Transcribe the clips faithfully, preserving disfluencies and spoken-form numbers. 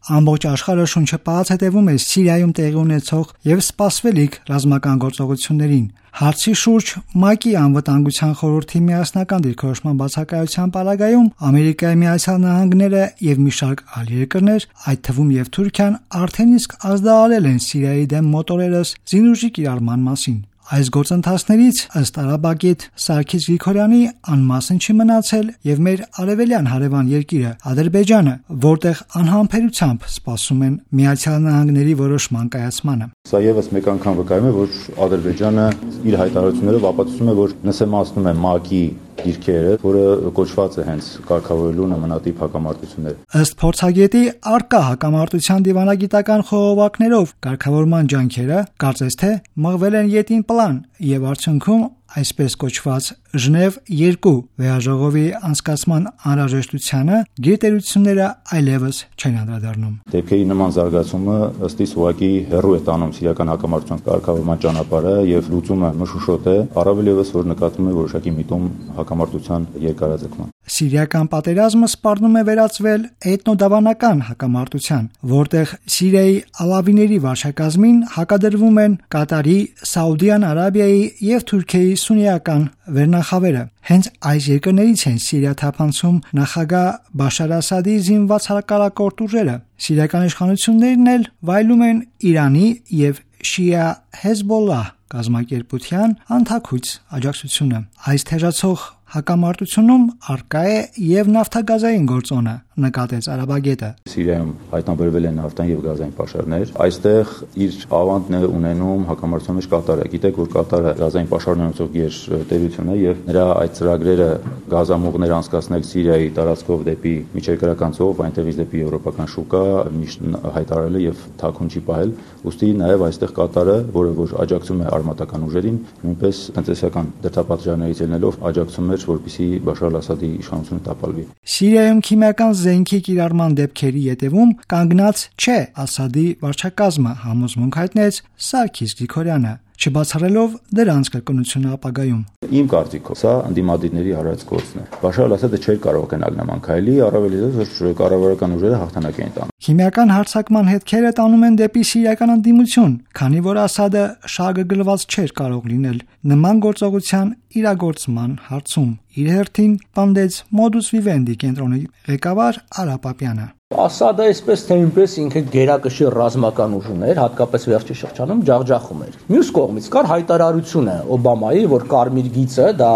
Ամբողջ աշխարհը շունչը պահած հետևում է Սիրիայում տեղի ունեցող եւ սպասվելիք ռազմական գործողություններին։ Հարցի շուրջ ՄԱԿ-ի անվտանգության խորհրդի միասնական դիրքորոշման բացակայության պարագայում Ամերիկայի Միացյալ Նահանգները եւ մի շարք այլ երկրներ, այդ թվում եւ Թուրքիան, արդեն իսկ ազդարարել են Սիրիայի դեմ մոտորերս զինուժի կիրառման մասին։ Այս գործընթացներից ըստ արաբագետ Սարգիս Գրիգորյանի անմասն չի մնացել եւ մեր արևելյան հարևան երկիրը Ադրբեջանը, որտեղ անհամբերությամբ սպասում են Միացյալ Նահանգների որոշման կայացմանը։ Սա եւս մեկ անգամ վկայում է, որ Ադրբեջանը իր հայտարարություններով ապացուցում է, որ նսեմացնում է ՄԱԿ-ի դիրքերը, որը կոչված է հենց կարգավորելու նմանատիպ հակամարտություններ։ Ըստ փորձագետի, արկա հակամարտության դիվանագիտական խողովակներով կարգավորման ջանքերը կարծես թե մղվել են յետին պլան եւ արդյունքում այսպես կոչված Ժնև երկու վեհաժողովի անցկացման անհրաժեշտությանը գերտերությունները այլևս չեն անդրադառնում։ Դեպքերի նման զարգացումը ըստ իս ուղղակի հեռու է տանում սիրիական հակամարտության կարգավորման ճանապարհը եւ լուծումը մշուշոտ է, առավել եւս որ նկատվում է որոշակի միտում հակամարտության երկարաձգման։ Սիրիական պատերազմը սպառնում է վերածվել էթնոդավանական հակամարտության, որտեղ Սիրիայի ալավիների վարչակազմին հակադրվում են Կատարի, Սաուդյան Արաբիայի եւ Թուրքիայի սուննիական վերնախավերը։ Հենց այս երկրներից են Սիրիա թափանցում նախագահ Բաշար Ասադի զինված հակառակորդ ուժերը։ Սիրիական իշխանություններն էլ վայելում են Իրանի եւ Շիա Հեզբոլլահ կազմակերպության անթաքույց աջակցությունը։ Այս թեժացող հակամարտությունում արկա է եւ նավթագազային գործոնը, նկատեց արաբագետը։ Սիրիայում հայտնաբերվել են նավթային եւ գազային պաշարներ։ Այստեղ իր ավանդն է ունենում հակամարտության մեջ Կատարը։ Գիտեք, որ Կատարը գազային պաշարներ ունեցող գերտերություն է եւ նրա այդ ծրագրերը գազամուղներ անցկացնել Սիրիայի տարածքով դեպի միջերկրական ծով, այնտեղից դեպի եվրոպական շուկա միշտ հայտարարել է եւ թաքուն չի պահել։ Ուստի նաեւ այստեղ Կատարը, որը որ աջակցում է արմատական ուժերին, նույնպես տնտեսական դրդապատճառներից ելնելով աջակցում է, որպեսզի Բաշար Ասադի իշխանությունը տապալվի։ Սիրիայում քիմիական զենքի կիրառման դեպքերի ետևում կանգնած չէ Ասադի վարչակազմը, համոզմունք հայտնեց Սարգիս Գրիգորյանը, չբացառելով դրանց կրկնությունը ապագայում։ Իմ կարծիքով սա ընդդիմադիրների արած գործն է։ Բաշար Ասադը չէր կարող գնալ նման քայլի, առավել եւս որ կառավարական ուժերը հաղթանակ էին տանում։ Քիմիական հարձակման հետքերը տանում են դեպի սիրիական ընդդիմություն, քանի որ Ասադը շահագրգռված չէր կարող լինել նման գործողության իրագործման հարցում։ Իր հերթին պնդեց Modus Vivendi կենտրոնի ղեկավար Արա Պապյանը։ Ասադը այսպես թե այնպես ինքը գերակշիռ ռազմական ուժ ուներ, հատկապես վերջի շրջանում ջախջախում էր։ Մյուս կողմից կար հայտարարությունը Օբամայի, որ կարմիր գիծը դա,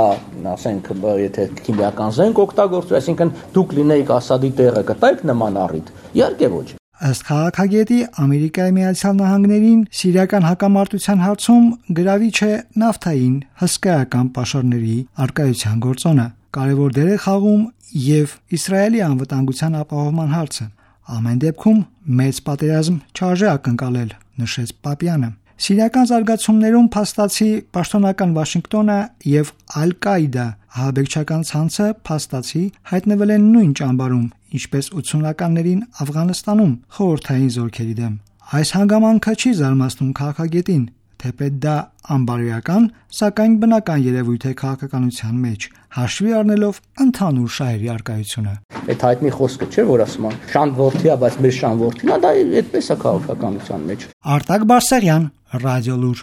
ասենք, եթե քիմիական զենք օգտագործվի, այսինքն դուք լինեիք Ասադի տեղը կտայիք նման առիթ։ Իհարկե ոչ։ Ըստ քաղաքագետի, Ամերիկայի Միացյալ Նահանգներին սիրիական հակամարտության հարցում գրավիչ է նավթային հսկայական պաշարների արկայության գործոնը։ Կարևոր դեր է խաղում եւ Իսրայելի անվտանգության ապահովման հարցը։ Ամեն դեպքում մեծ պատերազմ չարժե ակնկալել, նշեց Պապյանը։ Սիրիական զարգացումներում փաստացի պաշտոնական Վաշինգտոնը եւ Ալ-Կաիդա ահաբեկչական ցանցը փաստացի հայտնվել են նույն ճամբարում, ինչպես ութսունականներին Աֆղանստանում խորհրդային զորքերի դեմ։ Այս հանգամանքը չի զարմացնում քաղաքագետին, թեպետ դա անբարոյական, սակայն բնական երևույթ է քաղաքականության մեջ, հաշվի առնելով ընդհանուր շահերի արկայությունը։ Այդ հայտնի խոսքը չէ, որ ասում են շանտ որդի է, բայց մեր շան որդին է, դա այդպես է քաղաքականության մեջ։ Արտակ Բարսեղյան, Ռադիո Լուր։